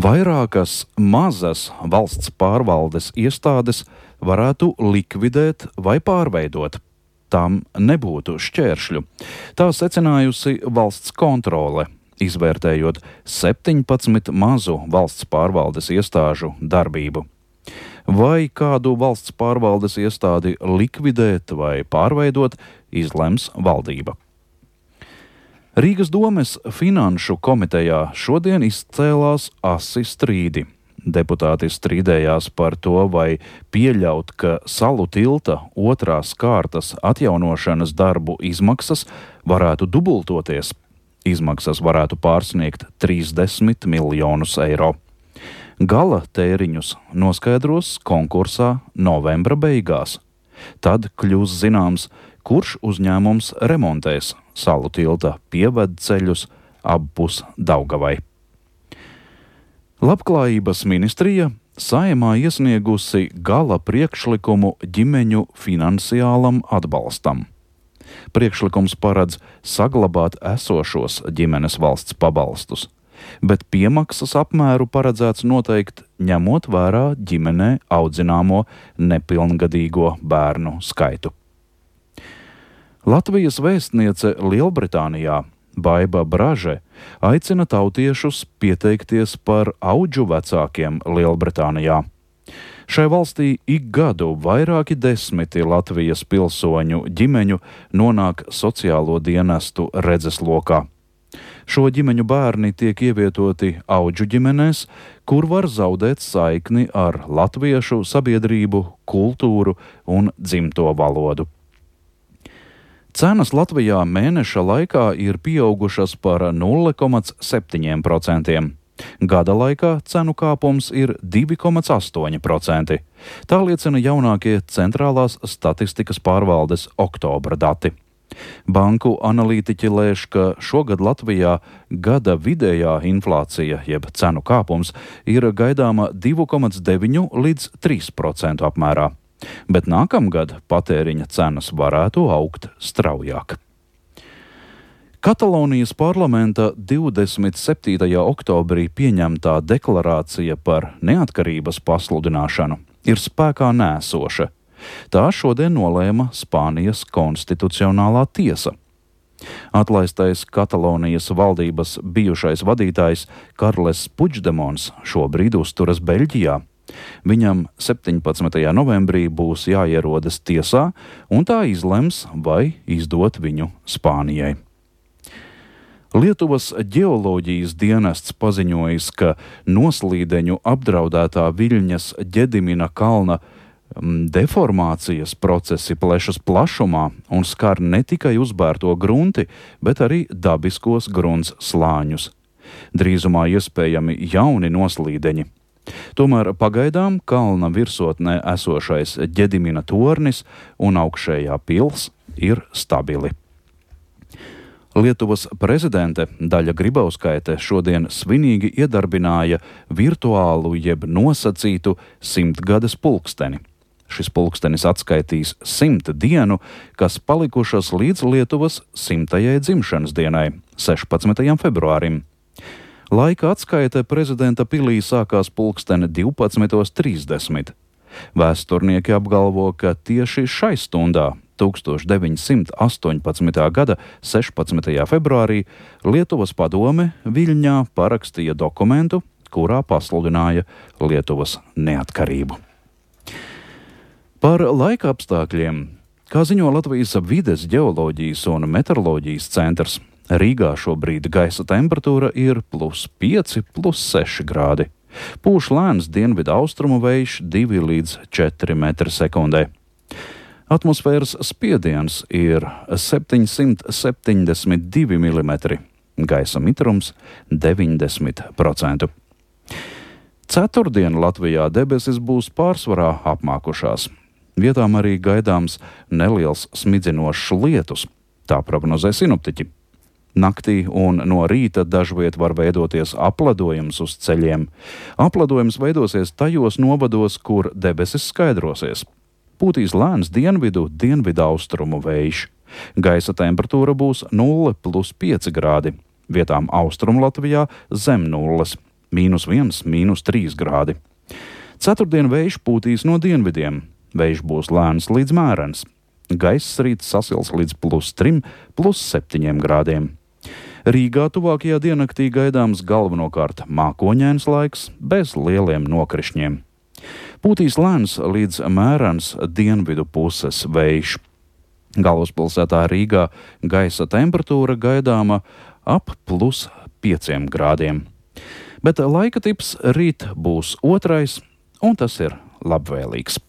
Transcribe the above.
Vairākas mazas valsts pārvaldes iestādes varētu likvidēt vai pārveidot. Tām nebūtu šķēršļu. Tā secinājusi valsts kontrole, izvērtējot 17 mazu valsts pārvaldes iestāžu darbību. Vai kādu valsts pārvaldes iestādi likvidēt vai pārveidot, izlems valdība. Rīgas domes finanšu komitejā šodien izcēlās asi strīdi. Deputāti strīdējās par to, vai pieļaut, ka Salu tilta otrās kārtas atjaunošanas darbu izmaksas varētu dubultoties. Izmaksas varētu pārsniegt 30 miljonus eiro. Gala tēriņus noskaidros konkursā novembra beigās. Tad kļūs zināms, kurš uzņēmums remontēs Salu tilta pievedceļus appus Daugavai. Labklājības ministrija Saeimā iesniegusi gala priekšlikumu ģimeņu finansiālam atbalstam. Priekšlikums paredz saglabāt esošos ģimenes valsts pabalstus, bet piemaksas apmēru paredzēts noteikt ņemot vērā ģimenē audzināmo nepilngadīgo bērnu skaitu. Latvijas vēstniece Lielbritānijā Baiba Braže aicina tautiešus pieteikties par audžu vecākiem Lielbritānijā. Šai valstī ik gadu vairāki desmiti Latvijas pilsoņu ģimeņu nonāk sociālo dienestu redzeslokā. Šo ģimeņu bērni tiek ievietoti audžu ģimenēs, kur var zaudēt saikni ar latviešu sabiedrību, kultūru un dzimto valodu. Cenas Latvijā mēneša laikā ir pieaugušas par 0,7%. Gada laikā cenu kāpums ir 2,8%. Tā liecina jaunākie centrālās statistikas pārvaldes oktobra dati. Banku analītiķi lēš, ka šogad Latvijā gada vidējā inflācija, jeb cenu kāpums, ir gaidāma 2,9 līdz 3% apmērā. Bet nākamgad patēriņa cenas varētu augt straujāk. Katalonijas parlamenta 27. oktobrī pieņemtā deklarācija par neatkarības pasludināšanu ir spēkā nēsoša. Tā šodien nolēma Spānijas konstitucionālā tiesa. Atlaistais Katalonijas valdības bijušais vadītājs Karles Puigdemons šobrīd uzturas Beļģijā. Viņam 17. novembrī būs jāierodas tiesā, un tā izlems, vai izdot viņu Spānijai. Lietuvas ģeoloģijas dienests paziņojis, ka noslīdeņu apdraudētā Viļņas Ģedimina kalna deformācijas procesi plešas plašumā un skar ne tikai uzbērto grunti, bet arī dabiskos grunts slāņus. Drīzumā iespējami jauni noslīdeņi. Tomēr pagaidām kalna virsotnē esošais Ģedimina tornis un augšējā pils ir stabili. Lietuvas prezidente Daļa Grybauskaite šodien svinīgi iedarbināja virtuālu jeb nosacītu 100-gades pulksteni. Šis pulkstenis atskaitīs 100 dienu, kas palikušas līdz Lietuvas 100. dzimšanas dienai, 16. februārim. Laika atskaite prezidenta pilī sākās pulksteni 12:30. Vēsturnieki apgalvo, ka tieši šai stundā, 1918. gada 16. februārī, Lietuvas padome Viļņā parakstīja dokumentu, kurā pasludināja Lietuvas neatkarību. Par laika apstākļiem, kā ziņo Latvijas vides ģeoloģijas un meteoroloģijas centrs, Rīgā šobrīd gaisa temperatūra ir +5, +6 grādi. Pūš lēns dienvidu austrumu vējš 2 līdz 4 metri sekundē. Atmosfēras spiediens ir 772 mm, gaisa mitrums 90%. Ceturtdien Latvijā debesis būs pārsvarā apmākušās. Vietām arī gaidāms neliels smidzinošs lietus, tā prognozē sinoptiķi. Naktī un no rīta dažviet var veidoties apledojums uz ceļiem. Apledojums veidosies tajos novados, kur debesis skaidrosies. Pūtīs lēns dienvidu-austrumu vējš. Gaisa temperatūra būs 0 + 5 grādi. Vietām Austrumu Latvijā zem nulles. -1, -3 grādi. Ceturtdien vējš pūtīs no dienvidiem. Vējš būs lēns līdz mērens. Gaiss rīt sasils līdz +3, +7 grādiem. Rīgā tuvākajā diennaktī gaidāms galvenokārt mākoņains laiks, bez lieliem nokrišņiem. Pūtīs lēns līdz mērens dienvidu puses vējš. Galvaspilsētā Rīgā gaisa temperatūra gaidāma ap +5 grādiem. Bet laika tips rīt būs otrais, un tas ir labvēlīgs.